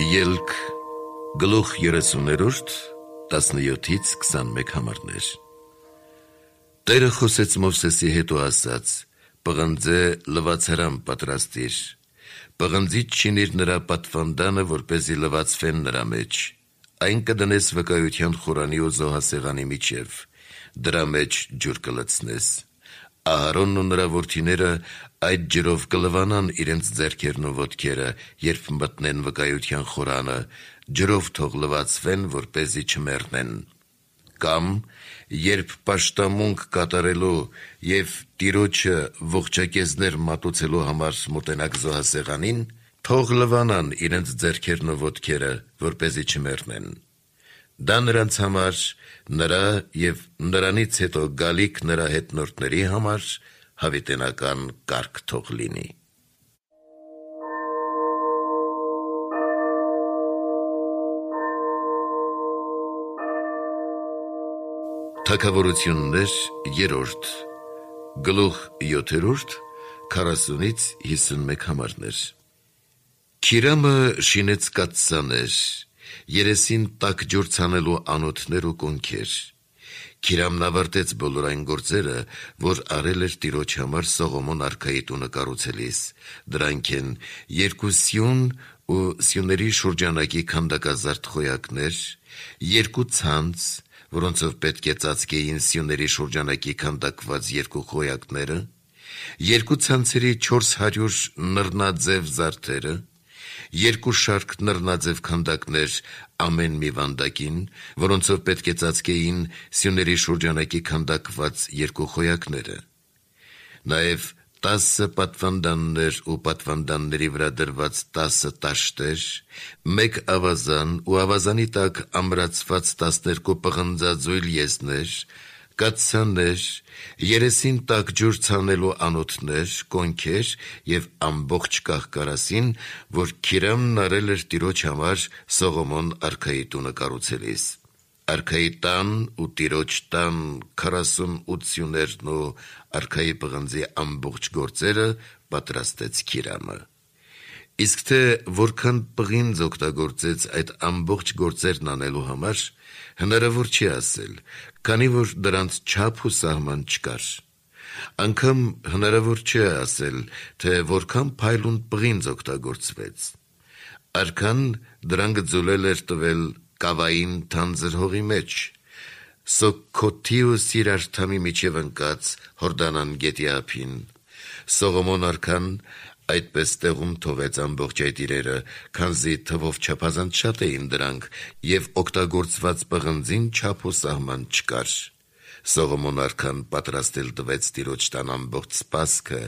Ելք գլուխ 30-րդ 17-ից 21 համարներ։ Տերը խոսեց Մովսեսի հետ ու ասաց. «Պղնձե լվացարան պատրաստիր, պղնձից շինիր նրա պատվանդանը, որպեսզի լվացվեն նրա մեջ, այն կդնես վկայության խորանի ու զոհասեղանի միջև, դրա մեջ ջուր կլցնես։ Ահարոնն ու նրա որդիները այդ ջրով կլվանան իրենց ձեռքերն ու ոտքերը, երբ մտնեն վկայության խորանը, ջրով թող լվացվեն, որպեսզի չմեռնեն։ Կամ երբ պաշտամունք կատարելու և Տիրոջը ողջակեզներ մատուցելու համար մոտենաք զոհասեղանին, թող լվանան իրենց ձեռքերն ու ոտքերը, որպեսզի չմեռնեն։ Դա նրանց համար, նրա և նրանից հետո գալիք նրա հետնորդների համար հավիտենական կարգ թող լինի»։ Թագավորություններ 3 գլուխ 7 40-ից 51 համարներ։ Քիրամը շինեց կաթսաներ, երեսին տաք ջուր ցանելու անոթներ ու կոնքեր։ Քիրամն ավարտեց բոլոր այն գործերը, որ արել էր Տիրոջ համար Սողոմոն արքայի տունը կառուցելիս, դրանք են 2 սյուն ու սյուների շուրջանակի քանդակազարդ խոյակներ, 2 ցանց, որոնցով պետք է ծածկեին սյուների շուրջանակի քանդակված 2 խոյակները, 2 ցանցերի 400 նռնաձև զարդերը, 2 շարք նռնաձև քանդակներ ամեն մի վանդակին, որոնցով պետք է ծածկեին սյուների շուրջանակի քանդակված 2 խոյակները, նաև 10 պատվանդաններ ու պատվանդանների վրա դրված 10 տաշտեր, 1 ավազան ու ավազանի տակ ամրացված 12 պղնձաձույլ եզներ, կաթսաներ, երեսին տաք ջուր ցանելու անոթներ, կոնքեր և ամբողջ կահ-կարասին, որ Քիրամն արել էր Տիրոջ համար Սողոմոն արքայի տունը կառուցելիս։ Արքայի տան ու Տիրոջ տան 48 սյուներն ու արքայի պղնձի ամբողջ գործերը պատրաստեց Քիրամը։ Իսկ թե որքան պղինձ օգտագործեց այդ ամբողջ գործերն անելու համար, հնարավոր չի ասել, քանի որ դրանց չափ ու սահման չկար։ Անգամ հնարավոր չէ ասել, թե որքան փայլուն պղինձ օգտագործվեց։ Արքան դրան գծուլել էր տվել կավային թանձր հողի մեջ, Սոքքոթի ու Սիրարթամի միջև ընկած Հորդանան գետի ափին։ Սողոմոն արքան այդպես տեղում թողեց ամբողջ այդ իրերը, քանզի թվով չափազանց շատ էին դրանք, և օգտագործված պղնձին չափ ու սահման չկար։ Սողոմոն արքան պատրաստել տվեց Տիրոջ տան ամբողջ սպասքը,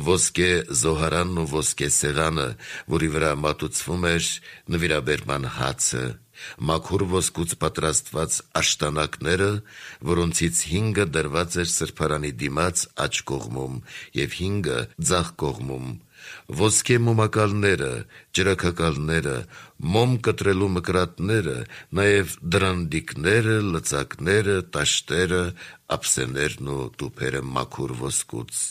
ոսկե զոհարանն ու ոսկե սեղանը, որի վրա մատուցվում էր նվիրաբերման հացը, մաքուր ոսկուց պատրաստված աշտանակները, որոնցից 5-ը դրված էր սրբարանի դիմաց աջ կողմում և 5-ը ձախ կողմում, ոսկե մոմակալները, ջրաքակալները, մոմ կտրելու մկրատները, նաև դրանդիկները, լծակները, տաշտերը, ափսեներն ու տուփերը մաքուր ոսկուց։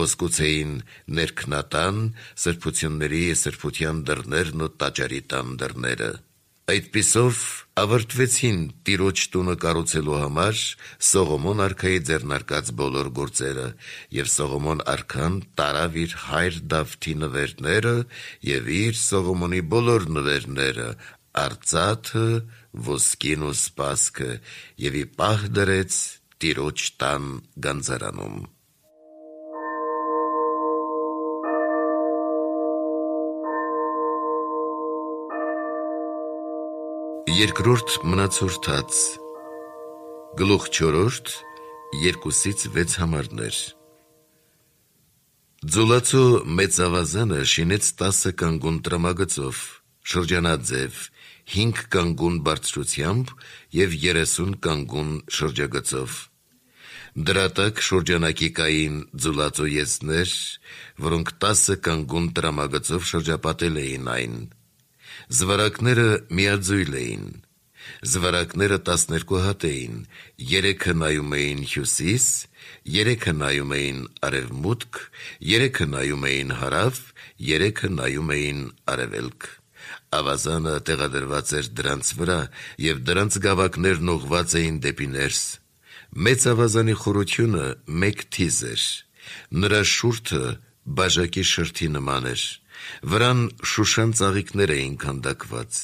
Ոսկուց էին ներքնատան, սրբությունների սրբության դռներն ու տաճարի տան դռները։ Այդպիսով ավարտվեցին Տիրոջ տունը կառուցելու համար Սողոմոն արքայի ձեռնարկած բոլոր գործերը, և Սողոմոն արքան տարավ իր հայր Դավթի նվերները և իր Սողոմոնի բոլոր նվերները, արծաթը, ոսկին ու սպասքը, և ի պահ դրեց Տիրոջ տան գանձարանում։ Երկրորդ մնացորդաց գլուխ 4 2-ից 6 համարներ։ Ձուլացու մեծ ավազանը շինեց 10 կանգուն տրամագծով, շրջանաձև, 5 կանգուն բարձրությամբ և 30 կանգուն շրջագծով։ Դրա տակ շրջանակի կային ձուլածու եզներ, որոնք 10 կանգուն տրամագծով շրջապատել էին այն։ Զվարակները միաձույլ էին։ Զվարակները 12 հատ էին, 3-ը նայում էին հյուսիս, 3-ը նայում էին արևմուտք, 3-ը նայում էին հարավ, 3-ը նայում էին արևելք։ Ավազանը տեղադրված էր դրանց վրա, և դրանց գավակներն ուղղված էին դեպի ներս։ Մեծ ավազանի խորությունը 1 թիզ էր, նրա շուրթը բաժակի շրթի նման էր, վրան շուշան ծաղիկներ էին քանդակված,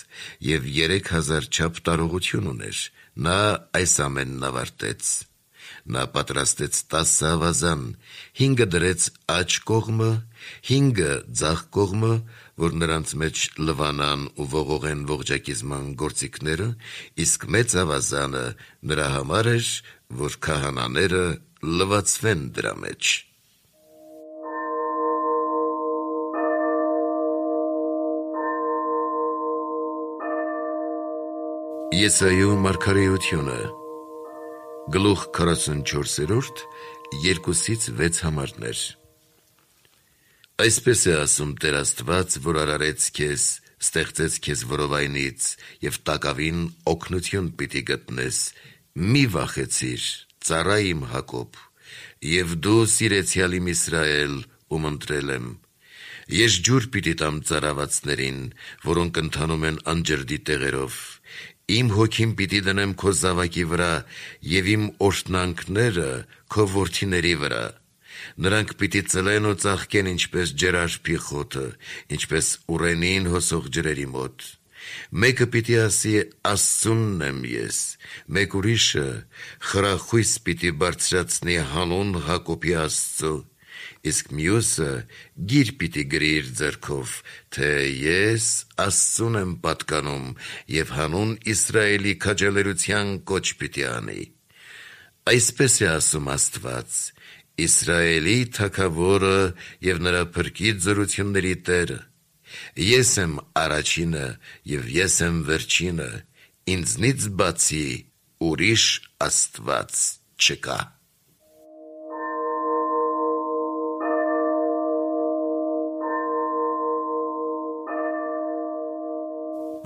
և 3000 չափ տարողություն ուներ։ Նա այս ամենն ավարտեց։ Նա պատրաստեց 10 ավազան, 5-ը դրեց աջ կողմը, 5-ը ձախ կողմը, որ նրանց մեջ լվանան ու ողողեն ողջակիզման գործիքները, իսկ մեծ ավազանը նրա համար էր, որ քահանաները լվացվեն դրա մեջ։ Եսայու մարգարեությունը գլուխ 44, 2-6 համարներ։ Այսպես է ասում Տեր Աստված, որ արարեց քեզ, ստեղծեց քեզ որովայնից, և տակավին օգնություն պիտի գտնես, մի վախեցիր, ծառա իմ Հակոբ, և դու սիրեցյալ իմ Իսրայել, ում ընտրել եմ։ Ես ջուր պիտի տամ ծառավացներին, որոնք ընթանում են անջրդի տեղերով։ Իմ հոգին պիտի դնեմ քո զավակի վրա, և իմ օրհնանքները քո որդիների վրա։ Նրանք պիտի ծլեն ու ծաղկեն ինչպես ջերարբի խոտը, ինչպես ուռենին հոսող ջրերի մոտ։ Մեկը պիտի ասի. Աստծունն եմ ես, մեկ ուրիշը խրախույս պիտի բարձրացնի հանուն Հակոբի Աստծու, իսկ մյուսը գիր պիտի գրի իր ձեռքով, թե ես Աստծուն եմ պատկանում, և հանուն Իսրայելի քաջալերության կոչ պիտի անի։ Այսպես է ասում Աստված, Իսրայելի Թագավորը և նրա փրկիչ զորությունների Տերը։ Ես եմ առաջինը և ես եմ վերջինը, ինձնից բացի ուրիշ Աստված չկա։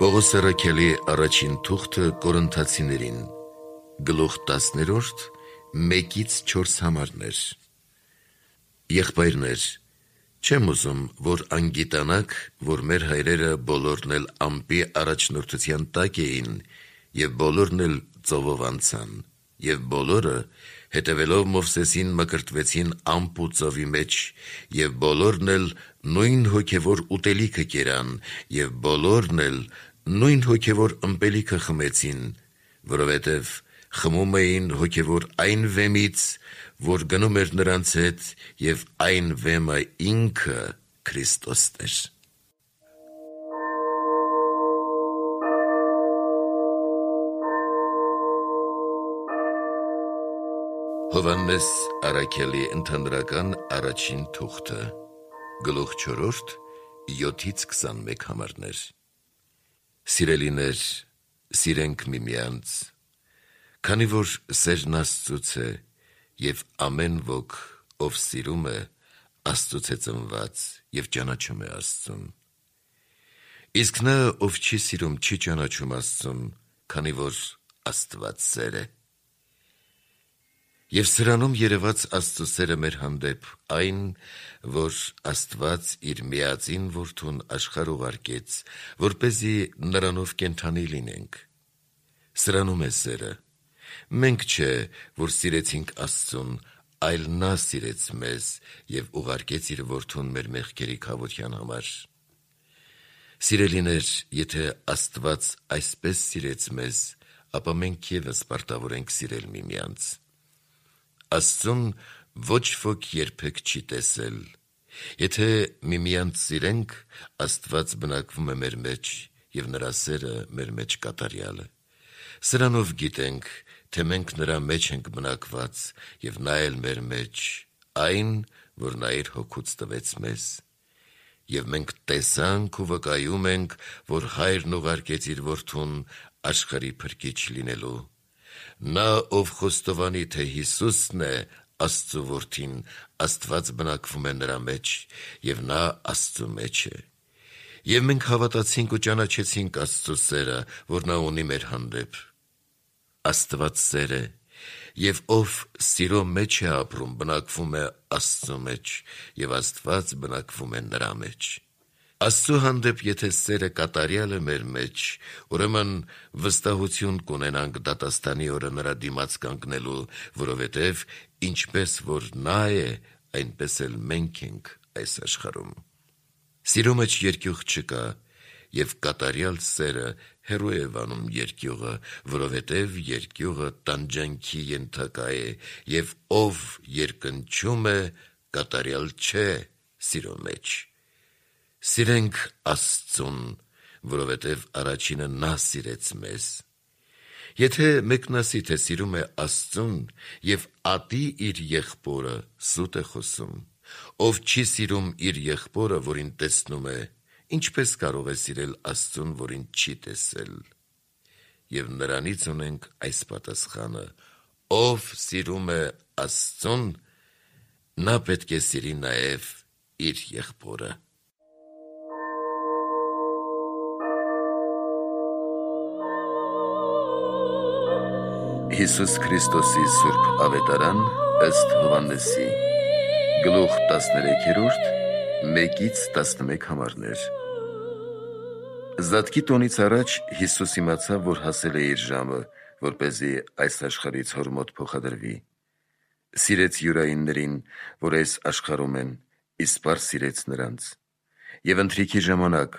Պողոս առաքյալի առաջին թուղթը Կորինթացիներին, գլուխ 10, 1-4 համարներ։ Եղբայրներ, չեմ ուզում, որ անգիտանաք, որ մեր հայրերը բոլորն էլ ամպի առաջնորդության տակ էին, և բոլորն էլ ծովով անցան, և բոլորը, հետևելով Մովսեսին, մկրտվեցին ամպ ու ծովի մեջ, և բոլորն էլ նույն հոգևոր ուտելիքը կերան, և բոլորն էլ նույն հոգևոր ըմպելիքը խմեցին, որովհետև խմում էին հոգևոր այն վեմից, որ գնում էր նրանց հետ, և այն վեմը ինքը Քրիստոսն էր։ Հովհաննես առաքյալի ընդհանրական առաջին թուղթը, գլուխ 4, 7-21 համարներ։ Սիրելիներ, սիրենք միմյանց, քանի որ սերն Աստծուց է, և ամեն ոք, ով սիրում է, Աստծուց է ծնված և ճանաչում է Աստծուն։ Իսկ նա, ով չի սիրում, չի ճանաչում Աստծուն, քանի որ Աստված սեր է։ Եվ սրանում երևաց Աստծու սերը մեր հանդեպ, այն, որ Աստված իր միածին Որդուն աշխարհ ուղարկեց, որպեսզի նրանով կենդանի լինենք։ Սրանում է սերը։ Մենք չէ, որ սիրեցինք Աստծուն, այլ նա սիրեց մեզ և ուղարկեց իր Որդուն մեր մեղքերի քավության համար։ Սիրելիներ, եթե Աստված այսպես սիրեց մեզ, ապա մենք ևս պարտավոր ենք սիրել միմյանց։ Աստծուն ոչ ոք երբեք չի տեսել։ Եթե միմյանց սիրենք, Աստված բնակվում է մեր մեջ, և նրա սերը մեր մեջ կատարյալ է։ Սրանով գիտենք, թե մենք նրա մեջ ենք բնակված, և նա էլ մեր մեջ, այն, որ նա իր հոգուց տվեց մեզ։ Եվ մենք տեսանք ու վկայում ենք, որ Հայրն ուղարկեց իր Որդուն աշխարհի փրկիչ լինելու։ Նա, ով խոստովանի, թե Հիսուսն է Աստծու Որդին, Աստված բնակվում է նրա մեջ, և նա Աստծու մեջ է։ Եվ մենք հավատացինք ու ճանաչեցինք Աստծու սերը, որ նա ունի մեր հանդեպ։ Աստված սեր է, և ով սիրո մեջ է ապրում, բնակվում է Աստծու մեջ, և Աստված բնակվում է նրա մեջ։ Աստծո հանդեպ եթե սերը կատարյալ է մեր մեջ, ուրեմն վստահություն կունենանք դատաստանի օրը նրա դիմաց կանգնելու, որովհետև ինչպես որ նա է, այնպես էլ մենք ենք այս աշխարհում։ Սիրո մեջ երկյուղ չկա, եւ կատարյալ սերը հեռու է վանում երկյուղը, որովհետև երկյուղը տանջանքի ենթակա է, եւ ով երկնչում է, կատարյալ չէ սիրո մեջ։ Սիրենք Աստծուն, որովհետև առաջինը նա սիրեց մեզ։ Եթե մեկն ասի, թե սիրում է Աստծուն եւ ատի իր եղբորը, սուտ է խոսում։ Ով չի սիրում իր եղբորը, որին տեսնում է, ինչպես կարող է սիրել Աստծուն, որին չի տեսել։ Եվ նրանից ունենք այս պատասխանը. ով սիրում է Աստծուն, նա պետք է սիրի նաեւ իր եղբորը։ Հիսուս Քրիստոսի Սուրբ Ավետարան ըստ Հովհաննեսի, գլուխ 13, 1-11 համարներ։ Զատկի տոնից առաջ Հիսուս իմացավ, որ հասել է իր ժամը, որպեսզի այս աշխարհից հոր մոտ փոխադրվի։ Սիրեց յուրայիններին, որ այս աշխարհում են, իսպառ սիրեց նրանց։ Եվ ընթրիքի ժամանակ,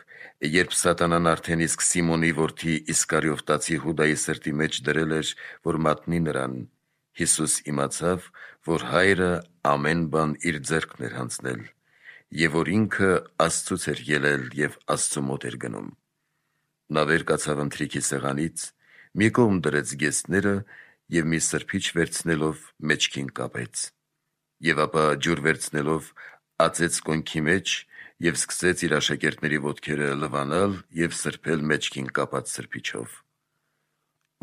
երբ Սատանան արդեն իսկ Սիմոնի որդի Իսկարիովտացի Հուդայի սրտի մեջ դրել էր, որ մատնի նրան, Հիսուս իմացավ, որ Հայրը ամեն բան իր ձեռքն էր հանձնել, եւ որ ինքը Աստծուց էր ելել եւ Աստծու մոտ էր գնում։ Նա վեր կացավ ընթրիքի սեղանից, մի կողմ դրեց գեստները եւ մի սրբիչ վերցնելով մեջքին կապեց, եւ ապա ջուր վերցնելով ածեց կոնքի մեջ եւ սկսեց իր աշակերտների ոտքերը լվանալ եւ սրբել մեջքին կապած սրբիչով։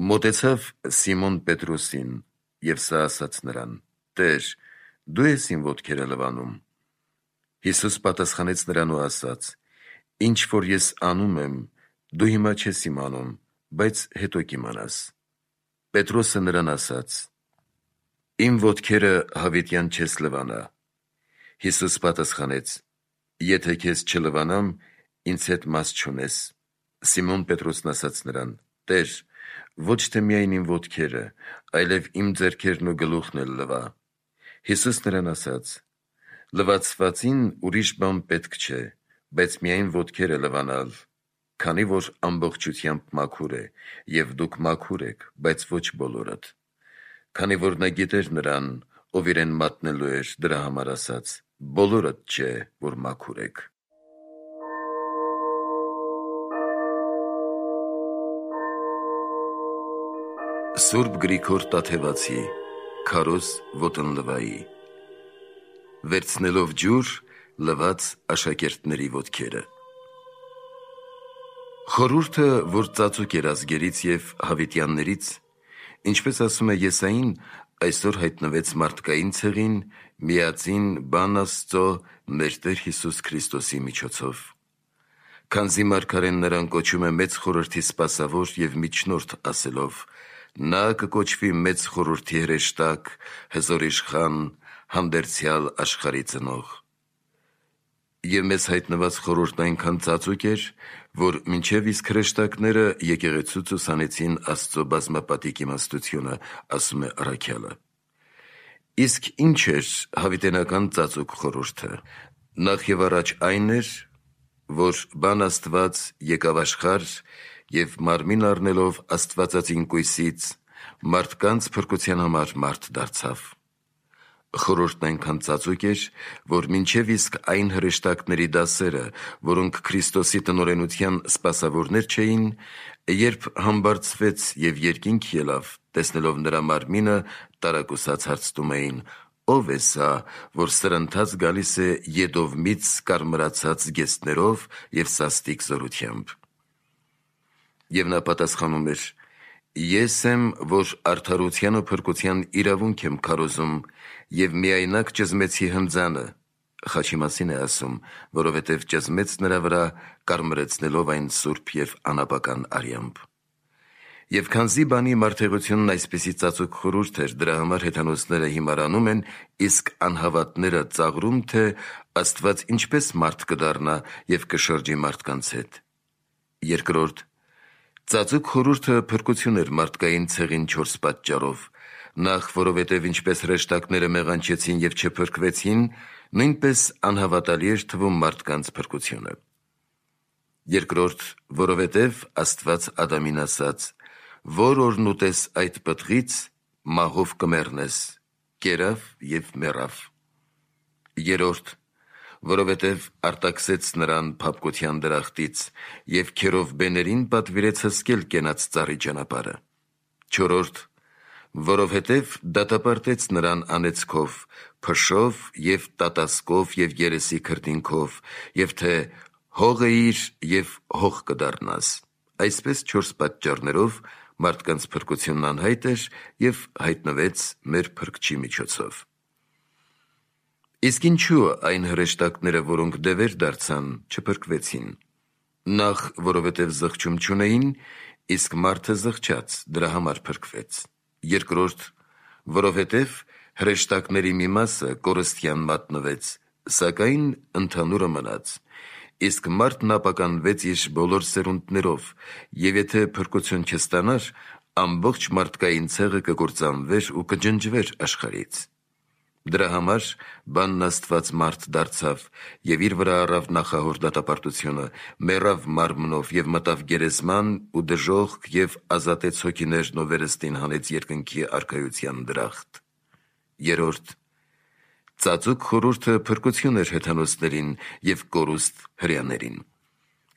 Մոտեցավ Սիմոն Պետրոսին եւ սա ասաց նրան. «Տեր, դու ես իմ ոտքերը լվանում»։ Հիսուս պատասխանեց նրան ու ասաց. «Ինչ որ ես անում եմ, դու հիմա չես իմանում, բայց հետո կիմանաս»։ Պետրոսը նրան ասաց. «Իմ ոտքերը հավիտյան չես լվանա»։ Հիսուս պատասխանեց. «Եթե քեզ չլվանամ, ինձ հետ մաս չունես»։ Սիմոն Պետրոսն ասաց նրան. «Տեր, ոչ թե միայն իմ ոտքերը, այլև իմ ձեռքերն ու գլուխն էլ լվա»։ Հիսուս նրան ասաց. «Լվացվածին ուրիշ բան պետք չէ, բայց միայն ոտքերը լվանալ, քանի որ ամբողջությամբ մաքուր է, եւ դուք մաքուր եք, բայց ոչ բոլորդ»։ Քանի որ նա գիտեր նրան, ով իրեն մատնելու էր, դրա համար ասաց. «Բոլորդ չէ, որ մաքուր եք»։ Սուրբ Գրիգոր Տաթևացի Քարոզ Ոտնլվայի վերցնելով ջուր, լված աշակերտների ոտքերը։ Խորհուրդը, որ ծածուկ էր ազգերից եւ հավիտյաններից, ինչպես ասում է Եսային, այսօր հայտնվեց մարդկային ցեղին, միածին բան Աստծո մեր Տեր Հիսուս Քրիստոսի միջոցով։ Քանզի մարգարեն նրան կոչում է մեծ խորհրդի սպասավոր եւ միջնորդ ասելով. նա կկոչվի մեծ խորհրդի հրեշտակ, հզոր իշխան, հանդերձյալ աշխարհի ծնող։ Եվ մեզ հայտնված խորհուրդն այնքան ծածուկ էր, որ մինչև իսկ հրեշտակները եկեղեցուց ուսանեցին Աստծո բազմապատիկ իմաստությունը, ասում է առաքյալը։ Իսկ ինչ էր հավիտենական ծածուկ խորհուրդը։ Նախ եւ առաջ այն էր, որ բան Աստված եկավ աշխարհ եւ մարմին առնելով Աստվածածին կույսից մարդկանց փրկության համար մարդ դարձավ։ Խորհուրդն այնքան ծածուկ էր, որ մինչև իսկ այն հրեշտակների դասերը, որոնք Քրիստոսի տնօրենության սպասավորներ չէին, երբ համբարձվեց եւ երկինք ելավ, տեսնելով նրա մարմինը, տարակուսած հարցնում էին. «Ո՞վ է սա, որ սրընթաց գալիս է ետովմից կարմրացած գեստներով եւ սաստիկ զորությամբ»։ Եվ նա պատասխանում էր. «Ես եմ, որ արդարության ու փրկության իրավունք եմ քարոզում եւ միայնակ ճզմեցի հնձանը», խաչի մասին է ասում, որովհետև ճզմեց նրա վրա, կարմրեցնելով այն սուրբ եւ անապական արյամբ։ Եվ քանզի բանի մարդեղությունն այսպիսի ծածուկ խորհուրդ էր, դրա համար հեթանոսները հիմարանում են, իսկ անհավատները ծաղրում, թե Աստված ինչպես մարդ կդառնա և կշրջի մարդկանց հետ։ Երկրորդ, ծածուկ խորհուրդը փրկություն էր մարդկային ցեղին 4 պատճառով. նախ, որովհետև ինչպես հրեշտակները մեղանչեցին և չփրկվեցին, նույնպես անհավատալի էր թվում մարդկանց փրկությունը։ Երկրորդ, որովհետև Աստված Ադամին ասաց. «Որ օրն ուտես այդ պտղից, մահով կմեռնես», կերավ և մեռավ։ Երրորդ, որովհետև արտաքսեց նրան փափկության դրախտից և քերով բեներին պատվիրեց հսկել կենաց ծառի ճանապարհը։ Չորրորդ, որովհետև դատապարտեց նրան անեծքով, փշով և տատասկով և երեսի քրտինքով, և թե հող էիր և հող կդառնաս։ Այսպես 4 պատճառներով մարդկանց փրկությունն անհայտ էր և հայտնվեց մեր Փրկչի միջոցով։ Իսկ ինչու այն հրեշտակները, որոնք դևեր դարձան, չփրկվեցին։ Նախ, որովհետև զղջում չունեին, իսկ մարդը զղջաց, դրա համար փրկվեց։ Երկրորդ, որովհետև հրեշտակների մի մասը կորստյան մատնվեց, սակայն ընդհանուրը մնաց, իսկ մարդն ապականվեց իր բոլոր սերունդներով, և եթե փրկություն չստանար, ամբողջ մարդկային ցեղը կկործանվեր ու կջնջվեր աշխարհից։ Դրա համար բանն Աստված մարդ դարձավ և իր վրա առավ նախահոր դատապարտությունը, մեռավ մարմնով և մտավ գերեզման ու դժոխք և ազատեց հոգիներն ու վերստին հանեց երկնքի արքայության դրախտ։ Երրորդ, ծածուկ խորհուրդը փրկություն էր հեթանոսներին և կորուստ հրեաներին։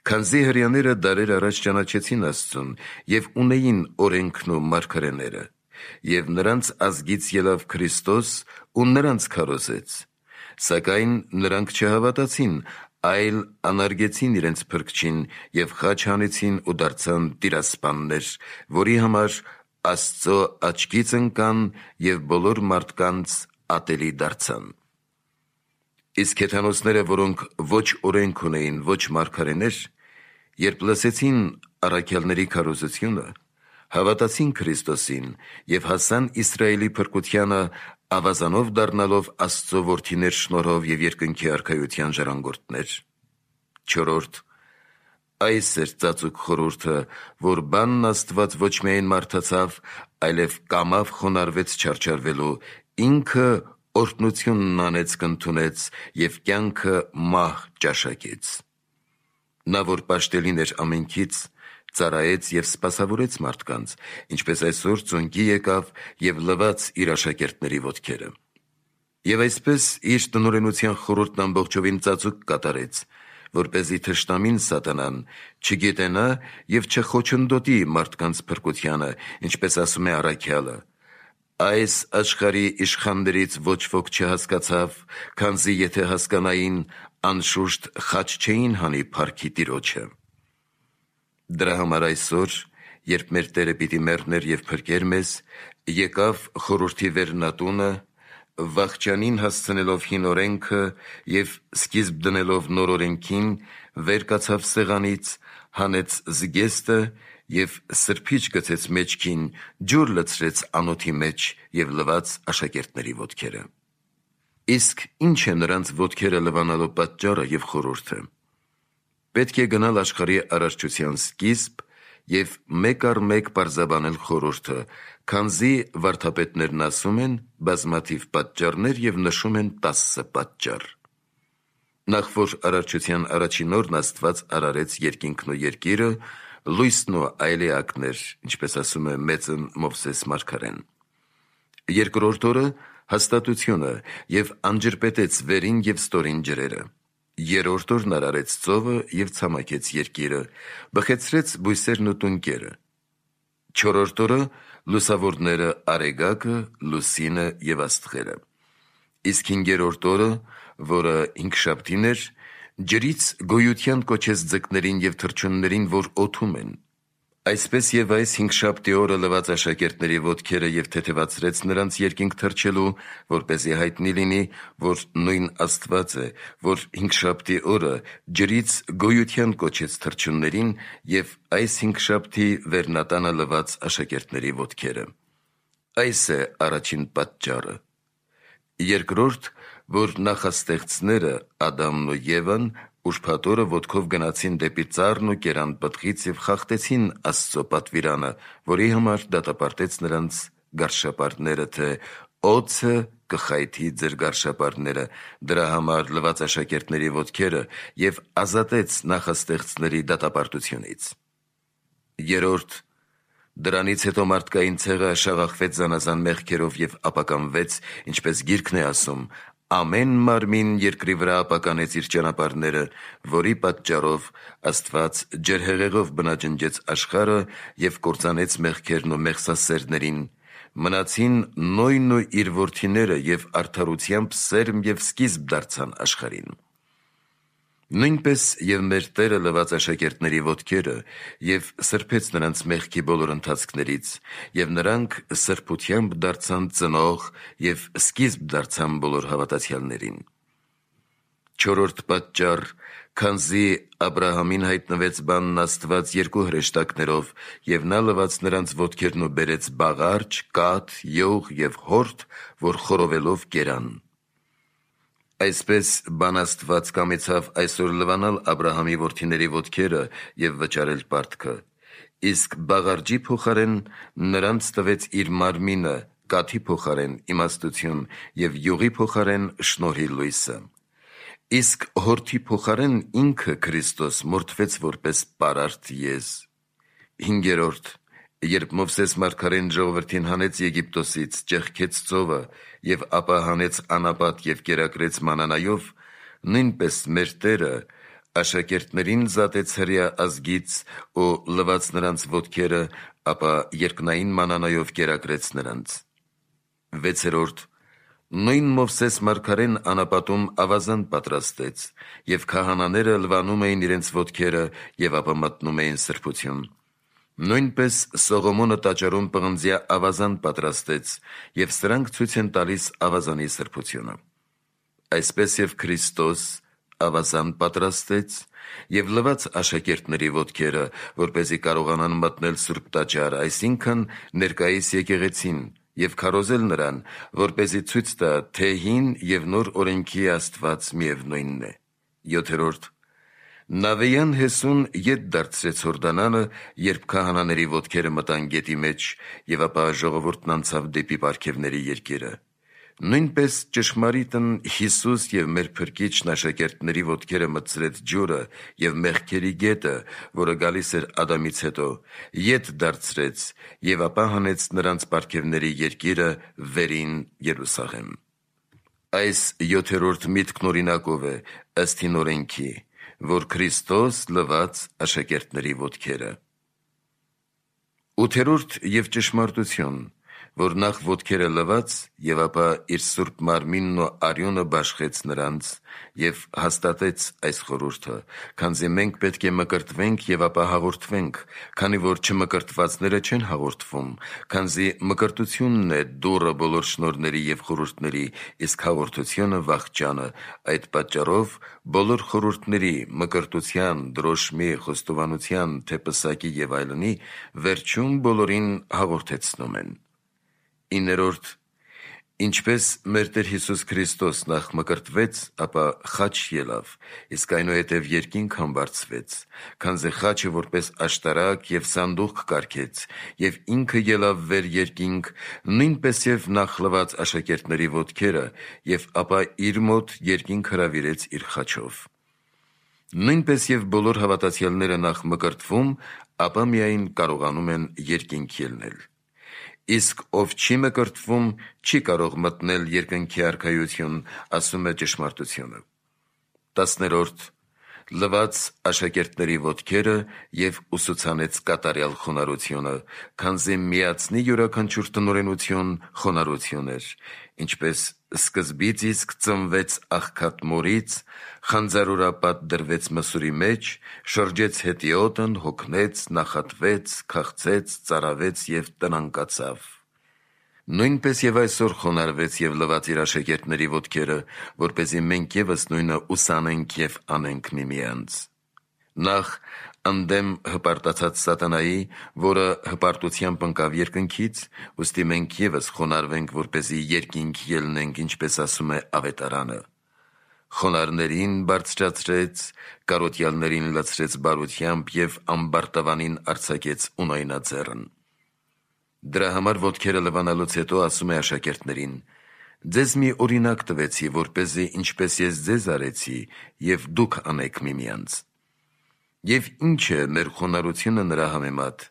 Քանզի հրեաները դարեր առաջ ճանաչեցին Աստծուն և ունեին օրենքն ու մարգարեները, և նրանց ազգից ելավ Քրիստոս ու նրանց քարոզեց, սակայն նրանք չհավատացին, այլ անարգեցին իրենց Փրկչին և խաչ հանեցին ու դարձան տիրասպաններ, որի համար Աստծո աչքից ընկան և բոլոր մարդկանց ատելի դարձան։ Իսկ հեթանոսները, որոնք ոչ օրենք ունեին, ոչ մարգարեներ, երբ լսեցին առաքյալների քարոզությունը, հավատացին Քրիստոսին և հասան Իսրայելի փրկությանը, ավազանով դառնալով Աստծո որդիներ շնորհով և երկնքի արքայության ժառանգորդներ։ Չորրորդ, այս էր ծածուկ խորհուրդը, որ բանն Աստված ոչ միայն մարդացավ, այլև կամավ խոնարհվեց չարչարվելու, ինքը օրհնությունն անեց կընդունեց և կյանքը մահ ճաշակեց։ Նա, որ պաշտելին էր ամենքից, ծառայեց և սպասավորեց մարդկանց, ինչպես այսօր ծունկի եկավ և լվաց իր աշակերտների ոտքերը։ Եվ այսպես իր տնօրենության խորհուրդն ամբողջովին ծածուկ կատարեց, որպեսզի թշնամին Սատանան չգիտենա և չխոչընդոտի մարդկանց փրկությանը, ինչպես ասում է առաքյալը. «Այս աշխարհի իշխաններից ոչ ոք չհասկացավ, քանզի եթե հասկանային, անշուշտ խաչ չէին հանի փառքի Տիրոջը»։ Դրա համար այսօր, երբ մեր Տերը պիտի մեռներ և փրկեր մեզ, եկավ խորհրդի վերնատունը, վախճանին հասցնելով հին օրենքը և սկիզբ դնելով նոր օրենքին, վեր կացավ սեղանից, հանեց զգեստը և սրբիչ գցեց մեջքին, ջուր լցրեց անոթի մեջ և լվաց աշակերտների ոտքերը։ Իսկ ի՞նչ է նրանց ոտքերը լվանալու պատճառը և խորհուրդը։ Պետք է գնալ աշխարհի արարչության սկիզբ և մեկ առ մեկ պարզաբանել խորհուրդը, քանզի վարդապետներն ասում են բազմաթիվ պատճառներ և նշում են 10 պատճառ։ Նախ որ արարչության առաջին օրն Աստված արարեց երկինքն ու երկիրը, լույսն ու այլ էակներ, ինչպես ասում է մեծն Մովսես մարգարեն։ Երկրորդ օրը հաստատությունը և անջրպետեց վերին և ստորին ջրերը։ Երրորդ օրն արարեց ծովը և ցամաքեց երկիրը, բխեցրեց բույսերն ու տունկերը։ Չորրորդ օրը լուսավորները Արեգակը, Լուսինը և Աստղերը։ Իսկ հինգերորդ օրը, որը հինգշաբթին էր, ջրից գոյության կոչեց ձկներին և թռչուններին, որ օդում են։ Այսպես և այս հինգշաբթի օրը լվաց աշակերտների ոտքերը և թեթևացրեց նրանց երկինք թռչելու, որպեսզի հայտնի լինի, որ նույն Աստված է, որ հինգշաբթի օրը ջրից գոյության կոչեց թռչուններին և այս հինգշաբթի վերնատանը լվաց աշակերտների ոտքերը։ Այս է առաջին պատճառը։ Երկրորդ, որ նախաստեղծները Ադամն ու Եվան ուրբաթ-օրը ոտքով գնացին դեպի ծառն ու կերան պտղից և խախտեցին Աստծո պատվիրանը, որի համար դատապարտեց նրանց գարշապարները, թե օձը կխայթի ձեր գարշապարները, դրա համար լված աշակերտների ոտքերը և ազատեց նախաստեղծների դատապարտությունից։ Երորդ, դրանից հետո մարդկային ցեղը շաղախվեց զանազան մեղքերով և ապականվեց, ինչպես Գիրքն է ասում. ամեն մարմին երկրի վրա ապականեց իր ճանապարհները, որի պատճառով Աստված ջրհեղեղով բնաջնջեց աշխարհը և կործանեց մեղքերն ու մեղսասերներին, մնացին Նոյն ու իր որդիները և արդարությամբ սերմ և սկիզբ դարձան աշխարհին։ Նույնպես և մեր Տերը լված աշակերտների ոտքերը և սրբեց նրանց մեղքի բոլոր ընթացքներից, և նրանք սրբությամբ դարձան ծնող և սկիզբ դարձան բոլոր հավատացյալներին։ Չորրորդ պատճառ, քանզի Աբրահամին հայտնվեց բանն Աստված երկու հրեշտակներով, և նա լվաց նրանց ոտքերն ու բերեց բաղարջ, կաթ, յուղ և հորդ, որ խորովելով կերան։ Այսպես բան Աստված կամեցավ այսօր լվանալ Աբրահամի որդիների ոտքերը և վճարել պարտքը, իսկ բաղարջի փոխարեն նրանց տվեց իր մարմինը, կաթի փոխարեն իմաստություն և յուղի փոխարեն շնորհի լույսը։ Իսկ հորդի փոխարեն ինքը Քրիստոս մորթվեց որպես պարարտ եզ։ Հինգերորդ, երբ Մովսես մարգարեն ժողովրդին հանեց Եգիպտոսից, ճեղքեց ծովը և ապա հանեց անապատ և կերակրեց մանանայով, նույնպես մեր Տերը աշակերտներին զատեց հրեա ազգից ու լվաց նրանց ոտքերը, ապա երկնային մանանայով կերակրեց նրանց։ Վեցերորդ, նույն Մովսես մարգարեն անապատում ավազան պատրաստեց, և քահանաները լվանում էին իրենց ոտքերը և ապա մտնում էին սրբություն։ Նույնպես Սողոմոնը տաճարում պղնձյա ավազան պատրաստեց, և սրանք ցույց են տալիս ավազանի սրբությունը։ Այսպես և Քրիստոս ավազան պատրաստեց և լվաց աշակերտների ոտքերը, որպեսզի կարողանան մտնել Սուրբ տաճար, այսինքն ներկայիս եկեղեցին, և քարոզել նրան, որպեսզի ցույց տա, թե հին և նոր օրենքի Աստված միևնույնն է։ Յոթերորդ, Նավեյան Հեսուն ետ դարձրեց Հորդանանը, երբ քահանաների ոտքերը մտան գետի մեջ, և ապա ժողովուրդն անցավ դեպի պարգևների երկիրը։ Նույնպես ճշմարիտն Հիսուս և մեր Փրկիչն աշակերտների ոտքերը մտցրեց ջուրը և մեղքերի գետը, որը գալիս էր Ադամից հետո, ետ դարձրեց և ապա հանեց նրանց պարգևների երկիրը վերին Երուսաղեմ։ Այս յոթերորդ միտքն օրինակով է, ըստ հին օրենքի, որ Քրիստոս լվաց աշակերտների ոտքերը։ Ութերորդ և ճշմարտություն, որ նախ ոտքերը լվաց և ապա իր սուրբ մարմինն ու արյունը բաշխեց նրանց և հաստատեց այս խորհուրդը, քանզի մենք պետք է մկրտվենք և ապա հաղորդվենք, քանի որ չմկրտվածները չեն հաղորդվում, քանզի մկրտությունն է դուռը բոլոր շնորհների և խորհուրդների, իսկ հաղորդությունը վախճանը, այդ պատճառով բոլոր խորհուրդների, մկրտության, դրոշմի, խոստովանության, թե պսակի և այլնի, վերջում բոլորին հաղորդեցնում են։ Իներորդ, ինչպես մեր Տեր Հիսուս Քրիստոս նախ մկրտվեց, ապա խաչ ելավ, իսկ այնուհետև երկինք համբարձվեց, քանզի խաչը որպես աշտարակ և սանդուղք կարգեց, և ինքը ելավ վեր երկինք, նույնպես և նախ լվաց աշակերտների ոտքերը, և ապա իր մոտ երկինք հրավիրեց իր խաչով։ Նույնպես և բոլոր հավատացյալները նախ մկրտվում, ապա միայն կարողանում են երկինք ելնել։ Իսկ ով չի մկրտվում, չի կարող մտնել երկնքի արքայություն, ասում է ճշմարտությունը։ 10-րդ, լվաց աշակերտների ոտքերը և ուսուցանեց կատարյալ խոնարհությունը, քանզի միացնի յուրաքանչյուր տնօրենություն խոնարհություն էր, ինչպես սկզբից իսկ ծնվեց աղքատ մորից, խանձարուրապատ դրվեց մսուրի մեջ, շրջեց հետիոտն, հոգնեց, նախատվեց, քաղցեց, ծարավեց և տնանկացավ։ Նույնպես և այսօր խոնարհվեց և լվաց իր աշակերտների ոտքերը, որպեսզի մենք ևս նույնը ուսանենք և անենք միմյանց։ Նախ Անդեմ հպարտացած սատանայի, որը հպարտությամբ ընկավ երկնքից, ուստի մենք ևս խոնարհվենք, որպեսզի երկինք ելնենք, ինչպես ասում է ավետարանը. խոնարհներին բարձրացրեց, կարոտյալներին լցրեց բարությամբ և ամբարտավանին արձակեց ունայնաձեռն։ Դրա համար ոտքերը լվանալուց հետո ասում է աշակերտներին. ձեզ մի օրինակ տվեցի, որպեսզի ինչպես ես ձեզ արեցի, և դուք անեք միմյանց։ Եվ ինչ է մեր խոնարհությունը նրա համեմատ,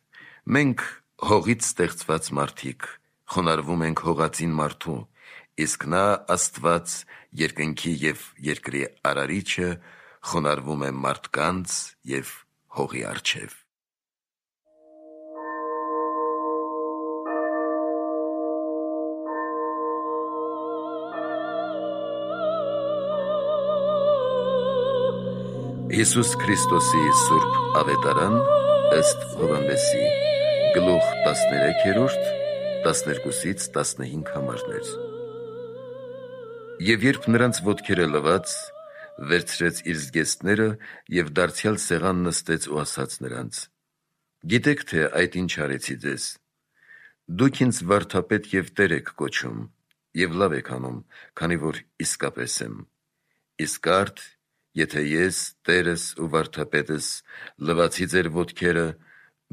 մենք հողից ստեղծված մարդիկ խոնարհվում ենք հողածին մարդու, իսկ նա Աստված, երկնքի և երկրի արարիչը, խոնարհվում է մարդկանց և հողի առջև։ Հիսուս Քրիստոսի Սուրբ Ավետարան ըստ Հովհաննեսի, գլուխ 13, 12-15 համարներ։ Եվ երբ նրանց ոտքերը լված, վերցրեց իր զգեստները և դարձյալ սեղան նստեց ու ասաց նրանց. «Գիտեք, թե այդ ինչ արեցի ձեզ. դուք ինձ վարդապետ և Տեր եք կոչում, և լավ եք անում, քանի որ իսկապես եմ։ Իսկ արդ, եթե ես, Տերս ու վարդապետս, լվացի ձեր ոտքերը,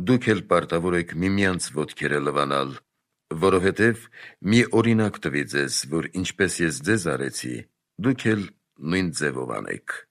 դուք էլ պարտավոր եք միմյանց ոտքերը լվանալ, որովհետև մի օրինակ տվի ձեզ, որ ինչպես ես ձեզ արեցի, դուք էլ նույն ձևով անեք»։